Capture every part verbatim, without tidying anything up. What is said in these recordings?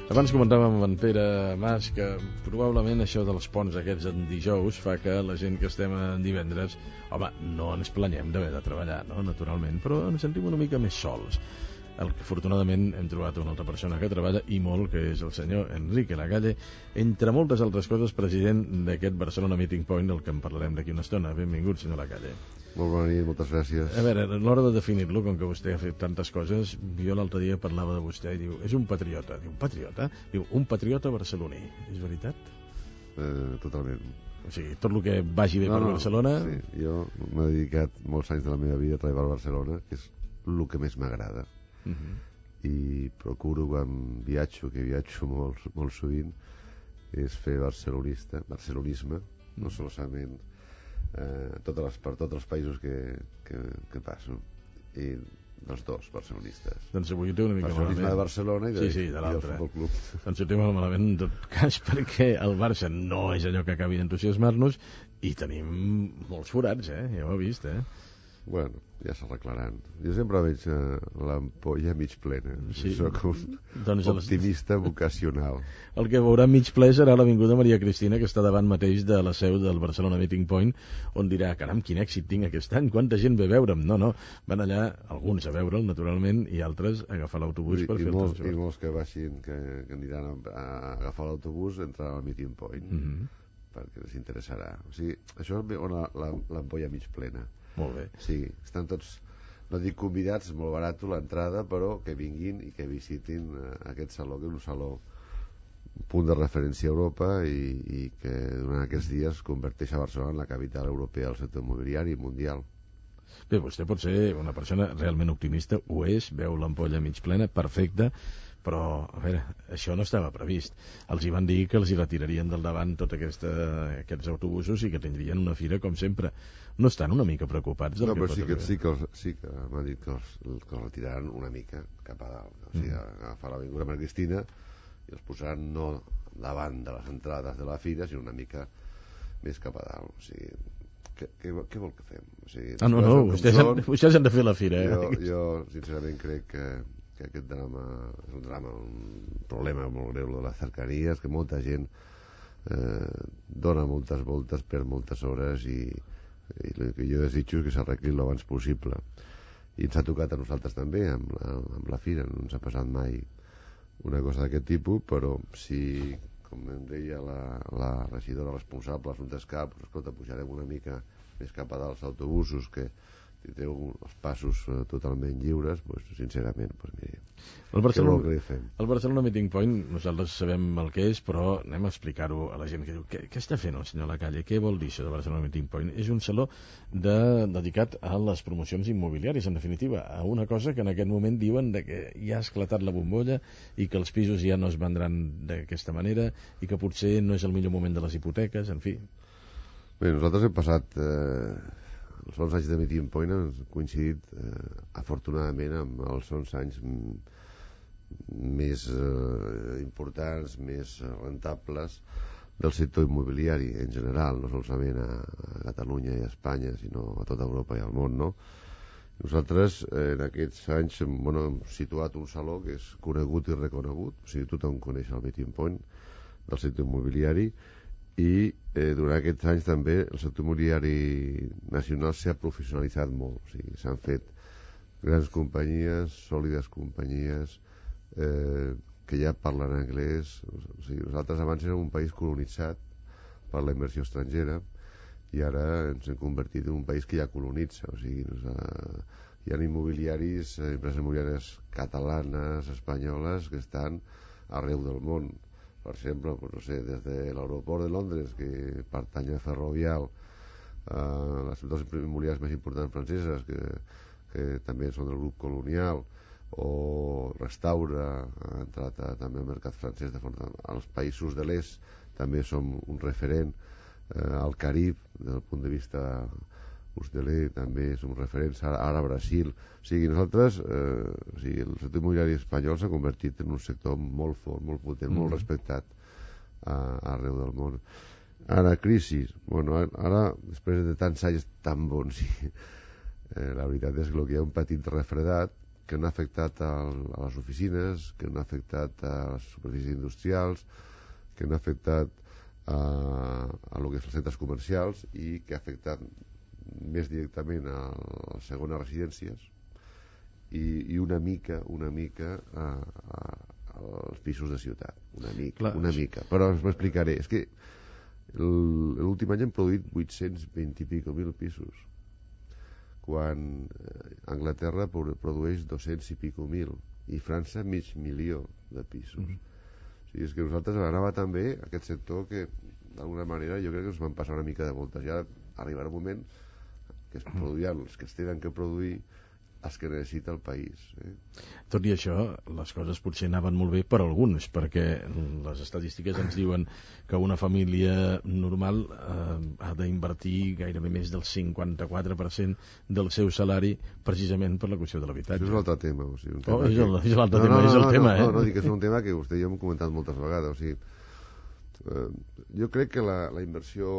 Abans comentàvem amb en Pere Mas que probablement això dels ponts aquests en dijous fa que la gent que estem en divendres, home, no ens planyem d'haver de treballar, no? Naturalment, però ens sentim una mica més sols. El que afortunadament hem trobat una altra persona que treballa i molt, que és el senyor Enrique Lacalle, entre moltes altres coses president d'aquest Barcelona Meeting Point, del que en parlarem d'aquí una estona. Benvingut, senyor Lacalle. Molt bona nit, moltes gràcies. A veure, a l'hora de definir-lo, com que vostè ha fet tantes coses, jo l'altre dia parlava de vostè i diu, és un patriota. Diu, patriota? Diu, un patriota barceloní. És veritat? Eh, totalment. O sigui, tot el que vagi bé no, per no, Barcelona... Sí, jo m'he dedicat molts anys de la meva vida a treballar a Barcelona, que és el que més m'agrada. Uh -huh. I procuro quan viatjo, que viatjo molt, molt sovint, és fer barcelonista, barcelonisme, no solament eh, totes les, per tots els països que, que, que passo, i dels dos barcelonistes. Doncs avui ho té una mica Barcelonisme malament. de Barcelona i, de, sí, sí, de i del l'altre. Futbol Club. Doncs ho té molt malament en tot cas, perquè el Barça no és allò que acabi d'entusiasmar-nos i tenim molts forats, eh? Ja ho he vist, eh? Bueno, ja s'arreglaran. Jo sempre veig eh, l'ampolla mig plena. Sí. Soc un doncs optimista vocacional. El que veurà mig ple serà l'Avinguda Maria Cristina, que està davant mateix de la seu del Barcelona Meeting Point, on dirà, caram, quin èxit tinc aquest any, quanta gent ve a veure'm. No, no, van allà, alguns a veure'l, naturalment, i altres a agafar l'autobús I, per i fer molts, el I molts que baixin, que, que aniran a, a agafar l'autobús, entraran al Meeting Point, mm -hmm. perquè els interessarà. O sigui, això és l'ampolla mig plena. Molt bé. Sí, estan tots, no dic convidats, molt barat l'entrada, però que vinguin i que visitin eh, aquest saló, que és un saló un punt de referència a Europa i, i que durant aquests dies converteix a Barcelona en la capital europea del sector immobiliari mundial. Bé, vostè pot ser una persona realment optimista, ho és, veu l'ampolla mig plena, perfecta, però, a veure, això no estava previst. Els hi van dir que els hi retirarien del davant tots aquesta, aquests autobusos i que tindrien una fira com sempre. No estan una mica preocupats del no, que però pot sí que, arribar? sí que, els, sí que m'han dit que els, que els retiraran una mica cap a dalt. O sigui, mm. agafar l'Avinguda Maria Cristina i els posaran no davant de les entrades de la fira, sinó una mica més cap a dalt. O sigui, què, què, què vol que fem? O sigui, ah, no, no, vostès han, vostès han de fer la fira. Eh? Jo, jo sincerament, crec que que aquest drama és un drama, un problema molt greu de les cercanías, que molta gent eh, dona moltes voltes per moltes hores i, i el que jo desitjo és que s'arregli l'abans possible. I ens ha tocat a nosaltres també amb la, amb la fira, no ens ha passat mai una cosa d'aquest tipus, però si, com em deia la, la regidora responsable d'Assumptes Cap, pues, escolta, pujarem una mica més cap a dalt els autobusos, que si té els passos uh, totalment lliures, pues, sincerament, pues, miri, el Barcelona, què fem? El Barcelona Meeting Point, nosaltres sabem el que és, però anem a explicar-ho a la gent que diu, què, què està fent el senyor Lacalle? Què vol dir això de Barcelona Meeting Point? És un saló de, dedicat a les promocions immobiliàries, en definitiva, a una cosa que en aquest moment diuen de que ja ha esclatat la bombolla i que els pisos ja no es vendran d'aquesta manera i que potser no és el millor moment de les hipoteques, en fi. Bé, nosaltres hem passat... Eh... els onze anys de Meeting Point han coincidit eh, afortunadament amb els onze anys més eh, importants, més rentables del sector immobiliari en general, no solament a, a Catalunya i a Espanya, sinó a tota Europa i al món, no? Nosaltres eh, en aquests anys bueno, hem situat un saló que és conegut i reconegut, o sigui, tothom coneix el Meeting Point del sector immobiliari, i eh, durant aquests anys també el sector immobiliari nacional s'ha professionalitzat molt, o sigui, s'han fet grans companyies, sòlides companyies eh, que ja parlen anglès. O sigui, nosaltres abans érem un país colonitzat per la inversió estrangera i ara ens hem convertit en un país que ja colonitza, o sigui, nos, eh, hi ha immobiliaris, eh, empreses immobiliàries catalanes, espanyoles, que estan arreu del món. Per exemple, pues, no sé, des de l'aeroport de Londres, que pertany a Ferrovial, eh, les dues immobiliàries més importants franceses, que, que també són del grup Colonial, o Restaura, ha entrat a, també al mercat francès, de forma, als països de l'est també som un referent, eh, al Carib, des del punt de vista hosteler, també som referents, ara, ara a Brasil. O sigui, nosaltres, eh, o sigui, el sector immobiliari espanyol s'ha convertit en un sector molt fort, molt potent, mm. molt respectat a, arreu del món. Ara, crisi, bueno, ara, després de tants anys tan bons, eh, la veritat és que el que hi ha un petit refredat, que han afectat al, a les oficines, que han afectat a les superfícies industrials, que han afectat a, a lo que és els centres comercials i que ha afectat més directament a les segones residències i, i una mica una mica a, a, als pisos de ciutat, una mica, Clar, una mica. Però us m'explicaré, és que l'últim any hem produït vuit-cents vint i pico mil pisos, quan Anglaterra produeix dos-cents i pico mil i França mig milió de pisos. Mm-hmm. O sigui, és que nosaltres anava tan bé aquest sector que d'alguna manera jo crec que ens van passar una mica de voltes. Ja arribarà un moment que es produiran els que es tenen que produir, els que necessita el país. Eh? Tot i això, les coses potser anaven molt bé per alguns, perquè les estadístiques ens diuen que una família normal eh, ha d'invertir gairebé més del cinquanta-quatre per cent del seu salari precisament per la qüestió de l'habitatge. Això és un altre tema. O sigui, un tema oh, és, el, que... és l'altre no, tema, no, no, és el no, tema, no, eh? No, no, dic que és un tema que vostè i jo hem comentat moltes vegades. O sigui, eh, jo crec que la, la inversió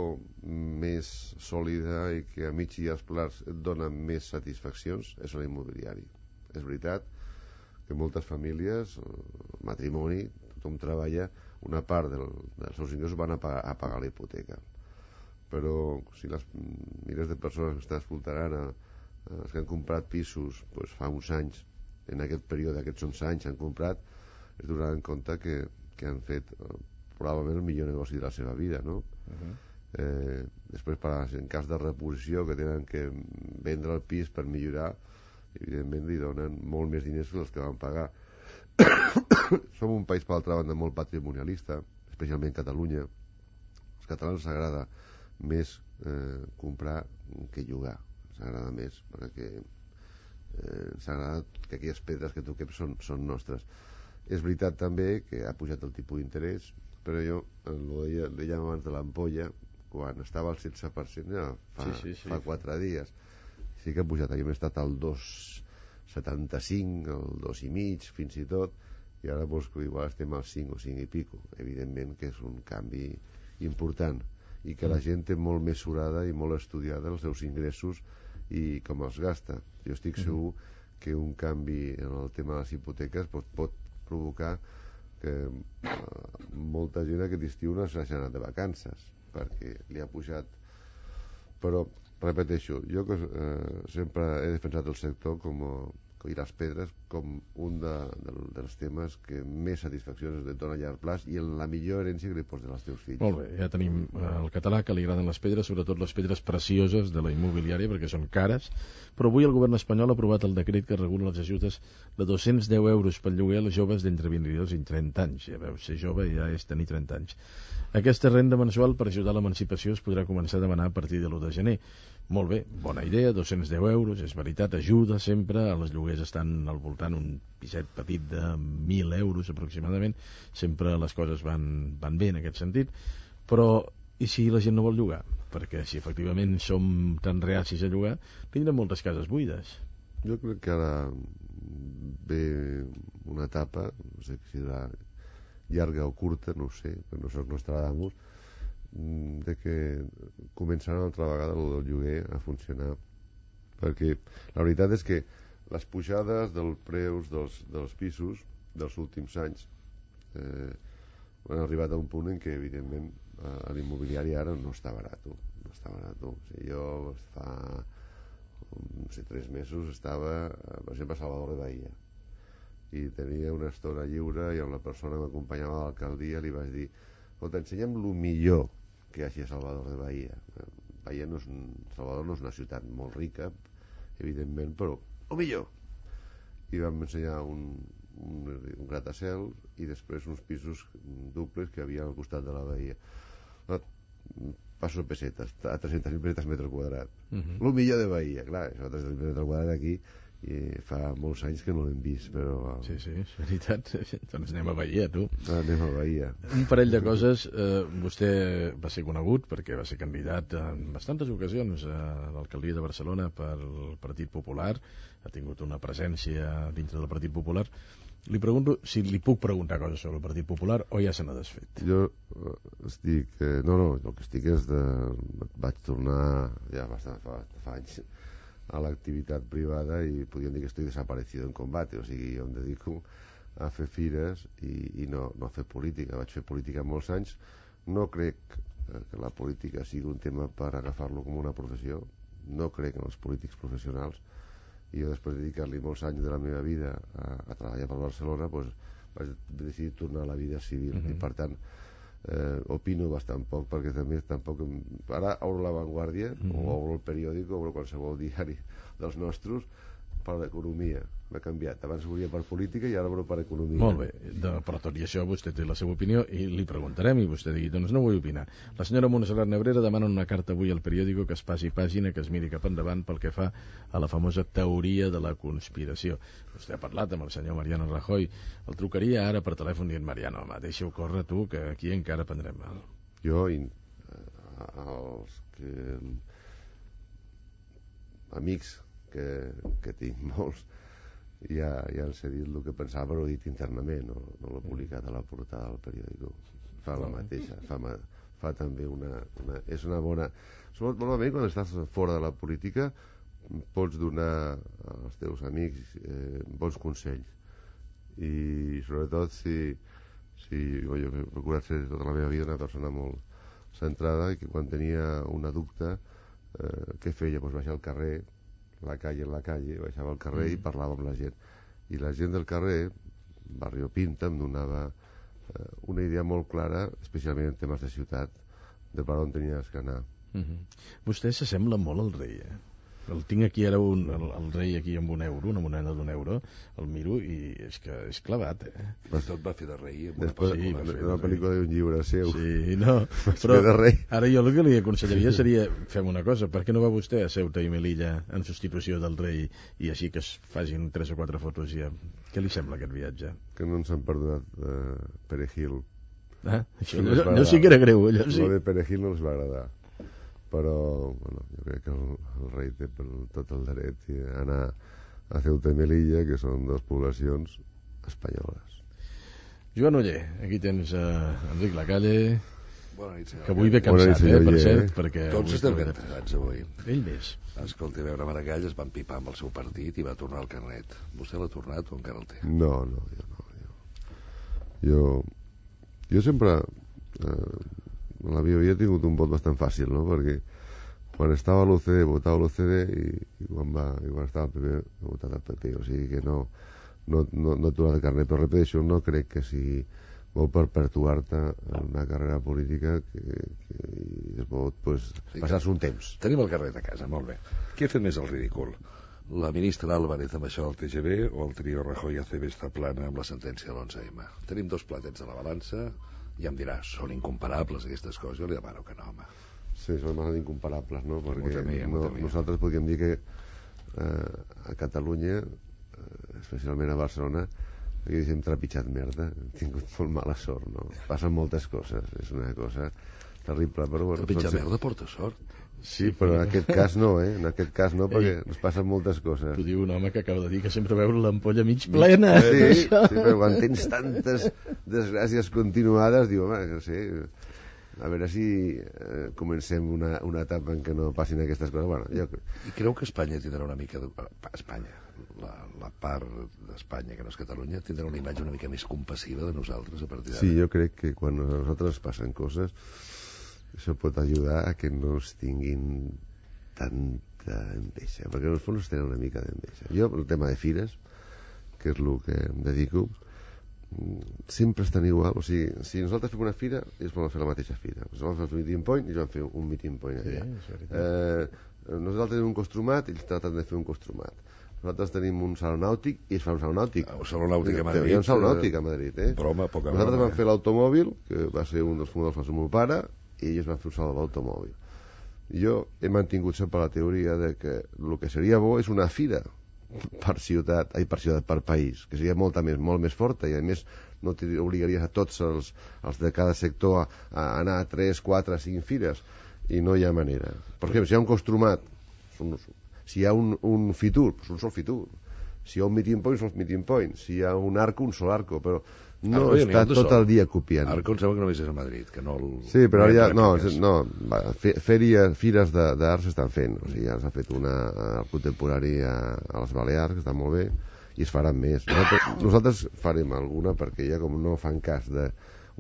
més sòlida i que a mig i als plats et dona més satisfaccions és l'immobiliari. És veritat que moltes famílies, matrimoni, tothom treballa, una part del, dels seus ingressos van a pagar, a pagar la hipoteca. Però si les milers de persones que estan escoltant, els que han comprat pisos pues, fa uns anys, en aquest període, aquests onze anys, han comprat, es donaran compte que, que han fet probablement el millor negoci de la seva vida, no? Uh-huh. Eh, després, per, en cas de reposició, que tenen que vendre el pis per millorar, evidentment li donen molt més diners que els que van pagar. Som un país, per l'altra banda, molt patrimonialista, especialment Catalunya. Als catalans ens agrada més eh, comprar que llogar. Ens agrada més, perquè eh, ens agrada que aquelles pedres que toquem són, són nostres. És veritat també que ha pujat el tipus d'interès, però jo ho deia, deia abans de l'ampolla, quan estava al setze per cent ja fa, sí, sí, sí. fa quatre dies. Sí que ha pujat, havíem estat al dos coma setanta-cinc, al dos i mig, fins i tot, i ara doncs, igual estem al cinc o cinc i pico. Evidentment que és un canvi important i que la gent té molt mesurada i molt estudiada els seus ingressos i com els gasta. Jo estic segur que un canvi en el tema de les hipoteques pot, pot provocar que uh, molta gent aquest estiu no s'ha anat de vacances perquè li ha pujat. Però repeteixo, jo que eh, sempre he defensat el sector com, i les pedres com un de, de, dels temes que més satisfaccions et dona a llarg plaç i en la millor herència que li pots donar als teus fills. Molt bé, ja tenim el català que li agraden les pedres, sobretot les pedres precioses de la immobiliària perquè són cares, però avui el govern espanyol ha aprovat el decret que regula les ajudes de dos-cents deu euros pel lloguer a les joves d'entre vint-i-dos i trenta anys. Ja veus, ser jove ja és tenir trenta anys. Aquesta renda mensual per ajudar a l'emancipació es podrà començar a demanar a partir de l'u de gener. Molt bé, bona idea, dos-cents deu euros, és veritat, ajuda sempre, els lloguers estan al voltant un piset petit de mil euros aproximadament, sempre les coses van, van bé en aquest sentit, però i si la gent no vol llogar? Perquè si efectivament som tan reacis a llogar, tindrem moltes cases buides. Jo crec que ara ve una etapa, no sé si serà llarga o curta, no ho sé, però no soc Nostradamus, de que començarà una altra vegada el del lloguer a funcionar, perquè la veritat és que les pujades dels preus dels, dels pisos dels últims anys eh, han arribat a un punt en què evidentment a l'immobiliari ara no està barat, no està barat. O sigui, jo fa no sé, tres mesos estava, per exemple, a Salvador de Bahia i tenia una estona lliure i amb la persona que m'acompanyava a l'alcaldia li vaig dir, escolta, ensenya'm el millor que hi hagi a Salvador de Bahia. Bahia no és un, Salvador no és una ciutat molt rica, evidentment, però el millor. I vam ensenyar un, un, un gratacel i després uns pisos duples que hi havia al costat de la Bahia. Passo pessetes, a tres-centes mil pessetes metre quadrat. Uh -huh. El millor de Bahia, clar, això tres-centes mil metre quadrat aquí i fa molts anys que no l'hem vist, però... Sí, sí, és veritat. Doncs anem a Bahia, tu. Ah, anem a Bahia. Un parell de coses. Eh, vostè va ser conegut perquè va ser candidat en bastantes ocasions a l'alcaldia de Barcelona pel Partit Popular. Ha tingut una presència dintre del Partit Popular. Li pregunto si li puc preguntar coses sobre el Partit Popular o ja se n'ha desfet. Jo estic... Eh, no, no, el que estic és de... Vaig tornar ja bastant fa, fa anys a l'activitat privada i podríem dir que estic desaparecido en combate, o sigui, jo em dedico a fer fires i, i no, no a fer política. Vaig fer política molts anys. No crec que la política sigui un tema per agafar-lo com una professió. No crec en els polítics professionals. I jo, després de dedicar-li molts anys de la meva vida a, a treballar per Barcelona, doncs, vaig decidir tornar a la vida civil. Uh-huh. I per tant, eh, opino bastant poc, perquè també tampoc... Ara obro La Vanguardia, uh-huh. o obro el periòdic, obro qualsevol diari dels nostres, per l'economia. M'ha canviat. Abans ho volia per política i ara obro per economia. Molt bé, de, però tot i això vostè té la seva opinió i li preguntarem i vostè digui, doncs no vull opinar. La senyora Montserrat Nebrera demana una carta avui al periòdico que es passi pàgina, que es miri cap endavant pel que fa a la famosa teoria de la conspiració. Vostè ha parlat amb el senyor Mariano Rajoy. El trucaria ara per telèfon dient, Mariano, home, deixa-ho córrer tu, que aquí encara prendrem mal. Jo, i, eh, els que... amics que, que tinc molts, ja, ja els he dit el que pensava, però ho he dit internament, no, no l'he publicat a la portada del periòdico. Fa la mateixa, fa, fa també una, una... És una bona... Normalment, quan estàs fora de la política, pots donar als teus amics eh, bons consells. I sobretot si... si jo, jo he procurat ser tota la meva vida una persona molt centrada i que quan tenia una dubte, eh, què feia? Doncs baixar al carrer, la calle en la calle, baixava al carrer mm. i parlava amb la gent. I la gent del carrer, Barrio Pinta, em donava eh, una idea molt clara, especialment en temes de ciutat, de per on tenies que anar. Mm-hmm. Vostè s'assembla molt al rei, eh? El tinc aquí ara, un, el, el rei aquí amb un euro, una moneda d'un euro, el miro i és que és clavat, eh? Però tot va fer de rei. Després, sí, una, una pel·lícula d'un llibre seu. Sí, no, però ara jo el que li aconsellaria seria, fem una cosa, per què no va vostè a Ceuta i Melilla en substitució del rei i així que es facin tres o quatre fotos ja? Què li sembla aquest viatge? Que no ens han perdonat uh, Perejil. Ah, això no, no sí que era greu, allò sí. Lo de Perejil no els va agradar. Però bueno, jo crec que el, el rei té per tot el dret a anar a Ceuta i Melilla, que són dues poblacions espanyoles. Joan Oller, aquí tens uh, Enric Lacalle, bona nit, senyor. Que avui ve cansat, eh, per cert, perquè... Tots estem ben entrenats avui. Ell més. Escolti, a veure, Maragall es va empipar amb el seu partit i va tornar al carnet. Vostè l'ha tornat o encara el té? No, no, jo no. Jo, jo, jo sempre... Eh, en la meva vida he tingut un vot bastant fàcil, no? Perquè quan estava a l'U C D votava l'U C D i, i, quan va, i quan estava al P P he votat al P P, o sigui que no no, no, no he tornat de carnet, però repeteixo, no crec que sigui bo per perpetuar-te en una carrera política que, que es pot pues, sí, passar-se un temps. Tenim el carnet a casa, molt bé. Qui ha fet més el ridícul? La ministra Álvarez amb això del T G V o el trio Rajoy A C B està plana amb la sentència de l'onze eme? Tenim dos platets a la balança. Ja em dirà, són incomparables aquestes coses, jo li demano que no, home. Sí, són bastant incomparables, no? Perquè temia, no, nosaltres podríem dir que eh, a Catalunya, eh, especialment a Barcelona, aquí hem trepitjat merda, hem tingut molt mala sort, no? Passen moltes coses, és una cosa terrible, però bueno... Trepitjar merda de porta sort. Sí, però en aquest cas no, eh? En aquest cas no, perquè Ei, ens passen moltes coses. T'ho diu un home que acaba de dir que sempre veu l'ampolla mig plena. Sí, sí, però quan tens tantes desgràcies continuades, diu, home, no sé, a veure si eh, comencem una, una etapa en què no passin aquestes coses. Bueno, jo... I creu que Espanya tindrà una mica... De... Espanya, la, la part d'Espanya, que no és Catalunya, tindrà una imatge una mica més compassiva de nosaltres a partir d'ara? Sí, jo crec que quan a nosaltres passen coses... això pot ajudar a que no es tinguin tanta enveja, perquè en el fons tenen una mica d'enveja. Jo, el tema de fires, que és el que em dedico, sempre estan igual. O sigui, si nosaltres fem una fira, ells poden fer la mateixa fira. Nosaltres vam fer un meeting point i ells van fer un meeting point allà. Sí, eh, nosaltres tenim un costumat i ells traten de fer un costumat. Nosaltres tenim un saló nàutic i ells fan un saló nàutic. Un saló nàutic a Madrid. Hi ha un saló nàutic a Madrid, eh? Però, home, poca nosaltres broma, vam fer l'automòbil, que va ser un dels fundadors del meu pare, i ells van fer un saló de l'automòbil. Jo he mantingut sempre la teoria de que el que seria bo és una fira per ciutat, ai, per ciutat, per país, que seria molta més, molt més forta, i a més no t'obligaries a tots els, els de cada sector a, a anar a tres, quatre, cinc fires, i no hi ha manera. Per exemple, si hi ha un costumat, si hi ha un, un fitur, doncs un sol fitur. Si hi ha un meeting point, són els meeting points. Si hi ha un arco, un sol arco, però no Arco, està tot el dia copiant. Arco em sembla que només és a Madrid, que no el... Sí, però ara ja... No, no va, fèries, fires d'art s'estan fent. O sigui, ja s'ha fet una art contemporani a, a les Balears, que està molt bé, i es faran més. Nosaltres, nosaltres farem alguna, perquè ja com no fan cas de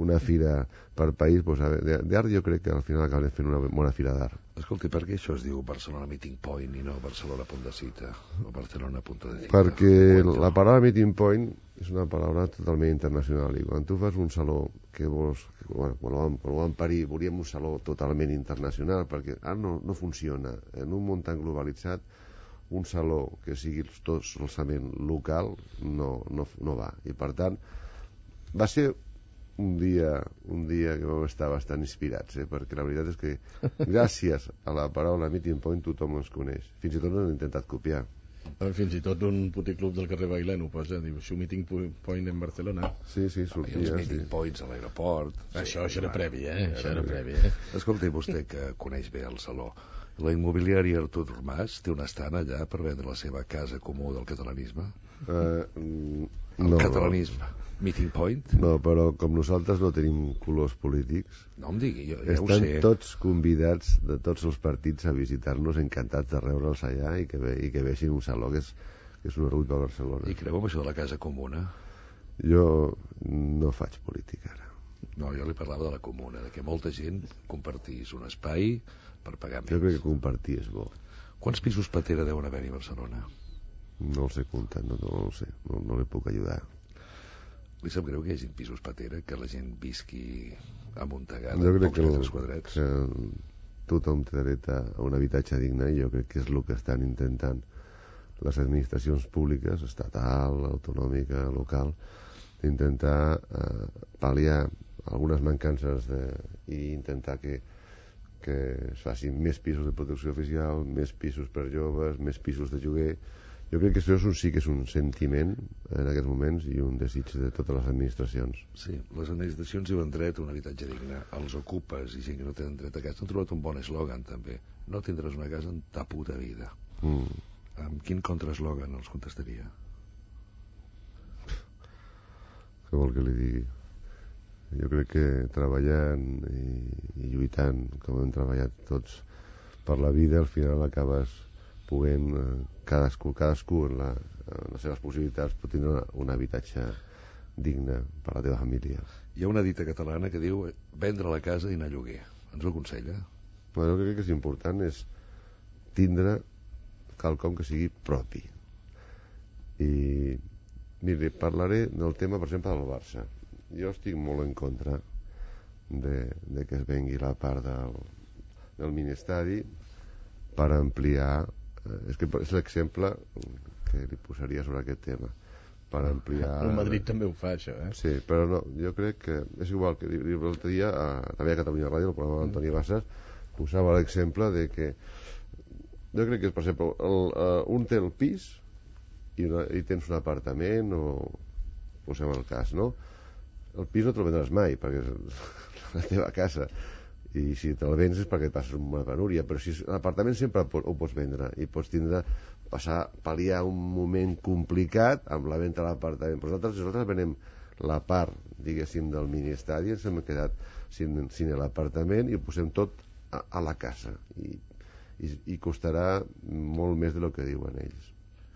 una fira per país, doncs, d'art jo crec que al final acabarem fent una bona fira d'art. Escolti, per què això es diu Barcelona Meeting Point i no Barcelona Punt de Cita o Barcelona Punt de Cita? Perquè la paraula Meeting Point és una paraula totalment internacional i quan tu fas un saló que vols, bueno, quan ho vam, quan ho vam parir volíem un saló totalment internacional perquè ara no, no funciona. En un món tan globalitzat un saló que sigui tot solament local no, no, no va. I per tant va ser un dia, un dia que vam estar bastant inspirats, eh? Perquè la veritat és que gràcies a la paraula Meeting Point tothom ens coneix. Fins i tot l'han intentat copiar. Fins i tot un puticlub del carrer Bailén ho posa, diu, su Meeting Point en Barcelona. Sí, sí, sortia. I els Meeting sí. Points a l'aeroport. Això, sí, això era previ, eh? Era Això era previ. previ, eh? Escolti, vostè que coneix bé el saló, la immobiliària Artur Mas té un estant allà per vendre la seva casa comú del catalanisme? Uh, El no, catalanisme. No. Meeting Point? No, però com nosaltres no tenim colors polítics, no em digui, jo ja estan ho sé. tots convidats de tots els partits a visitar-nos, encantats de reure'ls allà i que, ve, i que vegin un saló que és, que és un orgull per Barcelona. I creu en això de la casa comuna? Jo no faig política ara. No, jo li parlava de la comuna, de que molta gent compartís un espai per pagar menys. Jo crec que compartir és bo. Quants pisos patera deuen haver-hi a Barcelona? No els he comptat, no, no, no ho sé, no, no li puc ajudar. Li sap greu que hi hagi pisos patera, que la gent visqui amuntegada, jo crec pocs que, metres quadrats? que tothom té dret a un habitatge digne i jo crec que és el que estan intentant les administracions públiques, estatal, autonòmica, local, d'intentar eh, pal·liar algunes mancances de, i intentar que, que es facin més pisos de protecció oficial, més pisos per joves, més pisos de lloguer. Jo crec que això és un, sí que és un sentiment en aquests moments i un desig de totes les administracions. Sí, les administracions diuen dret a un habitatge digne. Els ocupes i gent que no tenen dret a casa han trobat un bon eslògan, també. No tindràs una casa en ta puta vida. Mm. Amb quin contraeslògan els contestaria? Què vol que li digui? Jo crec que treballant i, i lluitant, com hem treballat tots per la vida, al final acabes podent, cadascú, cadascú en, la, en les seves possibilitats pot tindre un habitatge digne per a la teva família. Hi ha una dita catalana que diu vendre la casa i anar a lloguer. Ens ho aconsella? Bueno, jo crec que és important és tindre quelcom que sigui propi. I miri, parlaré del tema, per exemple, del Barça. Jo estic molt en contra de, de que es vengui la part del, del mini-estadi per ampliar. És que és l'exemple que li posaria sobre aquest tema per ampliar... El Madrid també ho fa, això, eh? Sí, però no, jo crec que és igual que l'altre dia a, també a Catalunya Ràdio, el programa d'Antoni Bassas posava l'exemple de que jo crec que, per exemple, el, uh, un té el pis i, una, i tens un apartament o posem el cas, no? El pis no te'l vendràs mai perquè és la teva casa i si te'l vens és perquè et passes una penúria, però si l'apartament sempre ho pots vendre i pots tindre, passar, pal·liar un moment complicat amb la venda de l'apartament. Però nosaltres, nosaltres venem la part, diguéssim, del mini-estadi, ens hem quedat sin, sin l'apartament i ho posem tot a, a la casa i, i, i costarà molt més del que diuen ells.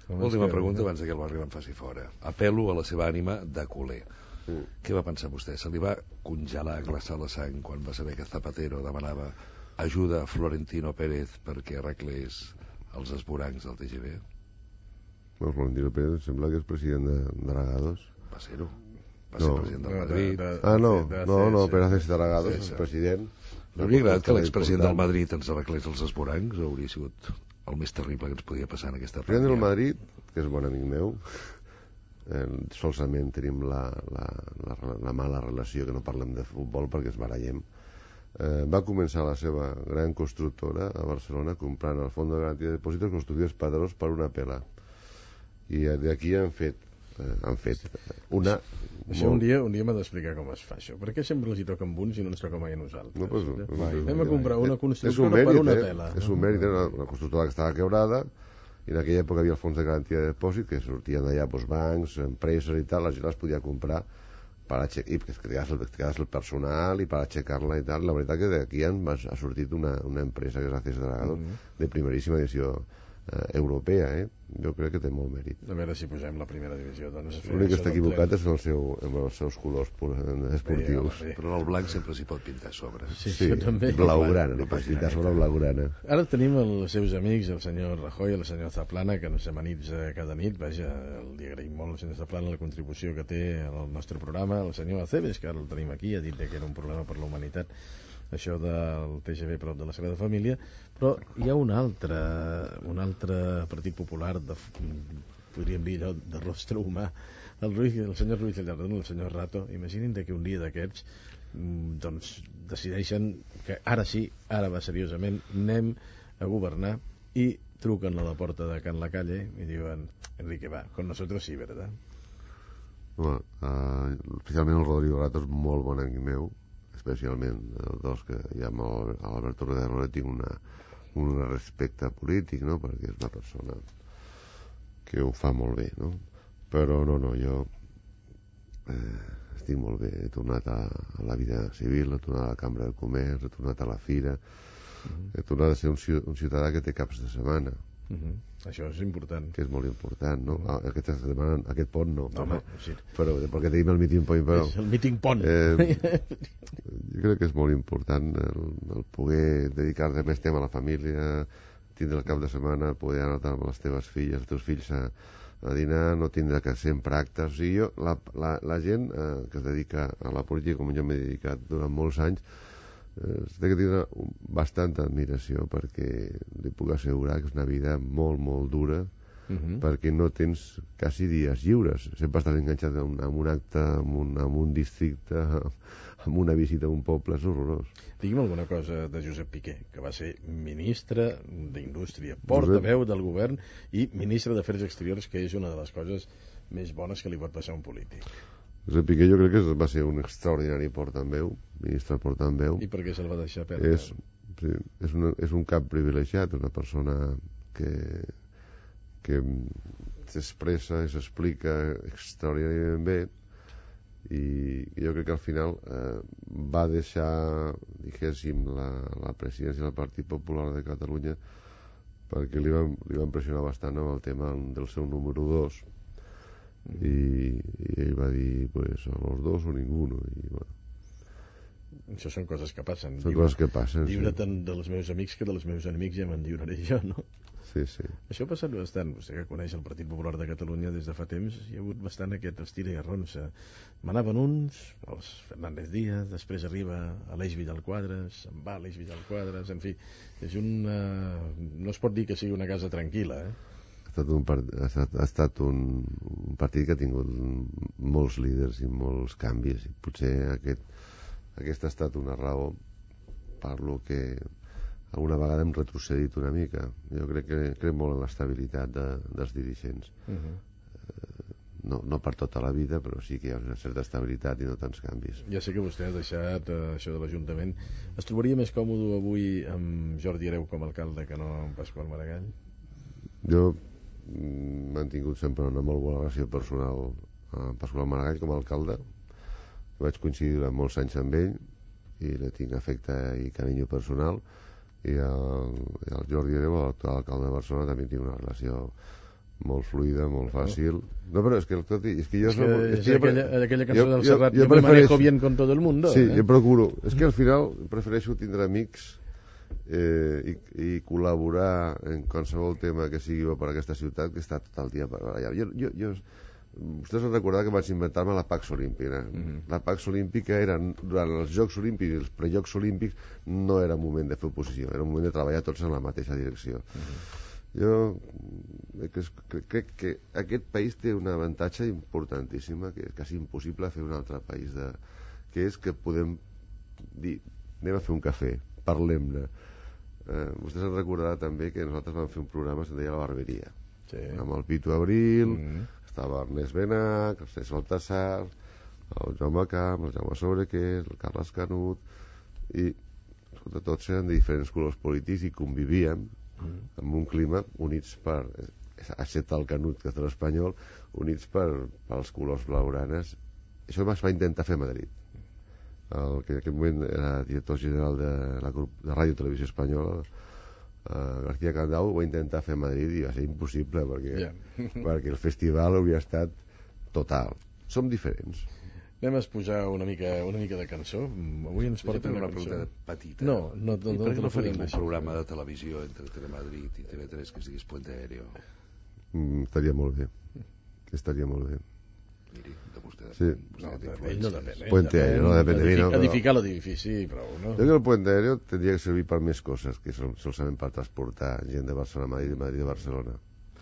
Última pregunta abans que el barri me'n faci fora. Apel·lo a la seva ànima de culer. Mm. Què va pensar vostè? Se li va congelar, glaçar la sang quan va saber que Zapatero demanava ajuda a Florentino Pérez perquè arreglés els esvorancs del T G V? Bueno, Florentino Pérez sembla que és president de, de Dragados. Va ser-ho. Va ser no. president del Madrid. De, de, ah, no, de, de, no, no, Pérez és Dragados, és president. No hauria agradat que l'expresident del Madrid ens arreglés els esvorancs o hauria sigut el més terrible que ens podia passar en aquesta pandèmia? El president del Madrid, que és bon amic meu, Eh, solament tenim la, la, la, la mala relació que no parlem de futbol perquè es barallem. Eh, va començar la seva gran constructora a Barcelona comprant el fons de garantia de dipòsits constructius padrós per una pela i d'aquí han fet eh, han fet una això molt... un dia un dia m'ha d'explicar com es fa això, perquè sempre els hi toca amb uns i no ens toca mai a nosaltres. No, pues, mai, anem a comprar una constructora mèrit, per una eh? pela. És un mèrit, una, una constructora que estava quebrada I en aquella època hi havia el fons de garantia de depòsit, que sortien d'allà doncs, bancs, empreses i tal, la gent les podia comprar per aixecar, i que es quedés el, el personal i per aixecar-la i tal. La veritat que d'aquí ha sortit una, una empresa que és Acces Dragados, mm-hmm. de primeríssima edició eh, europea, eh? Jo crec que té molt mèrit. A veure si posem la primera divisió, doncs. L'únic que està equivocat és el seu, amb els seus colors esportius. Bé, bé. Però el blanc sempre s'hi pot pintar a sobre. Sí, sí, també. Blaugrana, no pots pintar sobre blaugrana. Ara tenim els seus amics, el senyor Rajoy i el senyor Zaplana, que ens amanitza cada nit. Vaja, li agraïm molt al senyor Zaplana la contribució que té al nostre programa. El senyor Acebes, que ara el tenim aquí, ha dit que era un problema per la humanitat, això del T G V prop de la Sagrada Família, però hi ha un altre un altre Partit Popular de, podríem dir allò, de rostre humà, el, Ruiz, el senyor Ruiz Gallardón, el senyor Rato. Imaginin que un dia d'aquests doncs decideixen que ara sí, ara va seriosament, anem a governar, i truquen a la porta de Can La Calle i diuen: Enrique, va, con nosotros sí, ¿verdad? Bueno, uh, especialment el Rodrigo Rato és molt bon amic meu, especialment els dos, que ja amb l'Alberto Rodero tinc una, un respecte polític, no? Perquè és una persona que ho fa molt bé, no? Però no, no, jo eh, estic molt bé, he tornat a, a la vida civil, he tornat a la Cambra de Comerç, he tornat a la Fira, uh-huh. he tornat a ser un, un ciutadà que té caps de setmana. Uh-huh. Això és important. Que és molt important, no? Uh-huh. Aquesta setmana, aquest pont no. No, home, sí. Però, perquè tenim el meeting point, però... És el meeting pont. Eh, jo crec que és molt important el, el poder dedicar-te més temps a la família, tindre el cap de setmana, poder anar amb les teves filles, els teus fills a, a dinar, no tindre que sempre actes. O sigui, jo, la, la, la gent eh, que es dedica a la política, com jo m'he dedicat durant molts anys, eh, té que tindre bastanta admiració, perquè li puc assegurar que és una vida molt, molt dura, uh-huh. perquè no tens quasi dies lliures. Sempre estàs enganxat en un, en un acte, en un, en un districte, amb una visita a un poble, és horrorós. Digui'm alguna cosa de Josep Piqué, que va ser ministre d'Indústria, portaveu del govern i ministre d'Afers Exteriors, que és una de les coses més bones que li pot passar a un polític. Josep Piqué jo crec que va ser un extraordinari portaveu, ministre portaveu. I per què se'l va deixar perdre? És, sí, és, una, és un cap privilegiat, una persona que, que s'expressa i s'explica extraordinàriament bé, i jo crec que al final eh, va deixar, diguéssim, la, la presidència del Partit Popular de Catalunya, perquè li van, li van pressionar bastant amb el tema del seu número dos, mm. i, i ell va dir pues, a los dos o ninguno, i bueno. Això són coses que passen. Són Lliure, coses que passen, Lliure sí. Tant dels meus amics que dels meus enemics ja me'n lliuraré jo, no? Sí, sí. Això ha passat bastant. Vostè que coneix el Partit Popular de Catalunya des de fa temps, hi ha hagut bastant aquest estira i arronsa. Manaven uns, els Fernández Díaz, després arriba Aleix Vidal-Quadras, se'n va Aleix Vidal-Quadras, en fi, és una... no es pot dir que sigui una casa tranquil·la, eh? Ha estat un, part... ha estat, ha estat un, un partit que ha tingut molts líders i molts canvis, i potser aquest, aquesta ha estat una raó per lo que alguna vegada hem retrocedit una mica. Jo crec que crec molt en l'estabilitat de, dels dirigents. Uh-huh. eh, no, no per tota la vida, però sí que hi ha una certa estabilitat i no tants canvis. Ja sé que vostè ha deixat eh, això de l'Ajuntament. Es trobaria més còmode avui amb Jordi Hereu com a alcalde que no amb Pasqual Maragall? Jo m'he mantingut sempre una molt bona relació personal amb Pasqual Maragall com a alcalde. Vaig coincidir durant molts anys amb ell i li tinc afecte i carinyo personal, i el, el Jordi Hereu, l'actual alcalde de Barcelona, també tinc una relació molt fluida, molt fàcil. No, però és que, tot, és que jo... És que, no, és és que aquella, jo, aquella cançó jo, del Serrat, jo, jo, jo me manejo bien con todo el mundo. Sí, eh? jo procuro. És que al final prefereixo tindre amics eh, i, i col·laborar en qualsevol tema que sigui bo per a aquesta ciutat, que està tot el dia per allà. Jo, jo, jo, vostès han recordat que vaig inventar-me la Pax Olímpica. Mm-hmm. La Pax Olímpica era, durant els Jocs Olímpics i els prejocs Olímpics, no era un moment de fer oposició, era un moment de treballar tots en la mateixa direcció. Mm-hmm. Jo crec, crec que aquest país té un avantatge importantíssima, que és quasi impossible fer un altre país, de, que és que podem dir, anem a fer un cafè, parlem-ne. Eh, vostès han recordat també que nosaltres vam fer un programa que es deia La Barberia, sí. Amb el Pitu Abril, mm-hmm. estava Ernest Benach, el César Baltasar, el Jaume Camp, el Jaume Sobrequer, el Carles Canut, i escolta, tots eren de diferents colors polítics i convivíem mm. en un clima units per excepte el Canut, que és de l'Espanyol, units per, pels colors blaugranes. Això es va intentar fer a Madrid. El que en aquell moment era director general de la grup de Ràdio Televisió Espanyola, Uh, García Candau, ho va intentar fer a Madrid i va ser impossible perquè, yeah. perquè el festival hauria estat total. Som diferents. Anem a posar una mica, una mica de cançó. Avui ens porta una, una cançó. pregunta petita. No, no, no, I per què no podem faríem un deixar. programa de televisió entre Telemadrid i T V tres que es digués Puente Aéreo? Mm, estaria molt bé. Estaria molt bé. Miri, de vostè Sí. No, ell no depèn. Puente Aéreo, no depèn de mi, no, però- Edificar l'edifici, prou, no? Jo crec que el Puente Aéreo tindria que servir per més coses que sol, solament per transportar gent de Barcelona a Madrid i Madrid a Barcelona.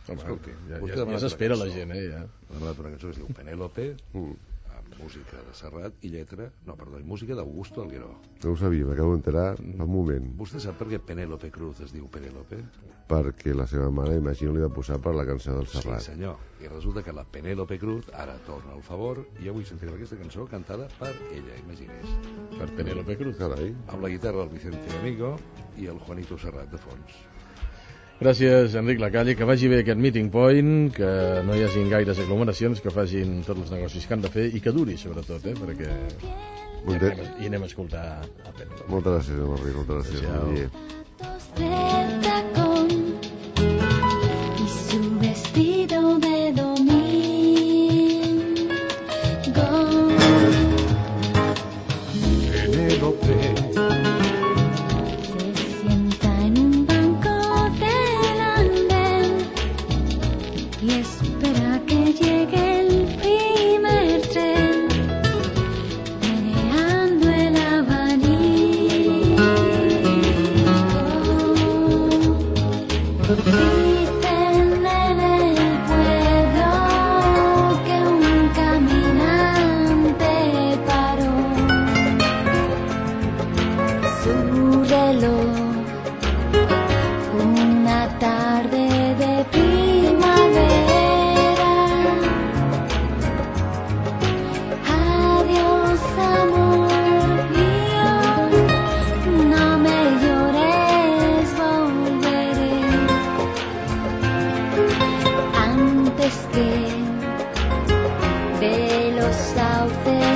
Home, Escolti, ja, vostè ja, demana ja s'espera una la cançó. gent, eh, ja. Ha demanat una cançó que es diu Penélope, Mm. amb música de Serrat i lletra, no, perdó, i música d'Augusto Algueró. No ho sabia, m'acabo d'enterar fa un moment. Vostè sap per què Penélope Cruz es diu Penélope? Perquè la seva mare, imagino, li va posar per la cançó del Sí, Serrat. senyor. I resulta que la Penélope Cruz ara torna al favor i avui sentirem aquesta cançó cantada per ella, imagines. Per Penélope Cruz. Carai. Amb la guitarra del Vicente Amigo i el Juanito Serrat de fons. Gràcies, Enric Lacalle, que vagi bé aquest meeting point, que no hi hagin gaires aglomeracions, que facin tots els negocis que han de fer i que duri, sobretot, eh, perquè i Molt bé. anem, a- i anem a escoltar a Penélope. Moltes gràcies, Enric, moltes gràcies. Adéu. Adéu. del tacón y su vestido de domingo. Penélope, Se sienta en un banco del andén y espera que llegue el primer tren, meneando el abanico. Dicen en el pueblo que un caminante paró su reloj una tarde de primavera. Adiós, amor mío, no me llores, volveré antes que de los sauces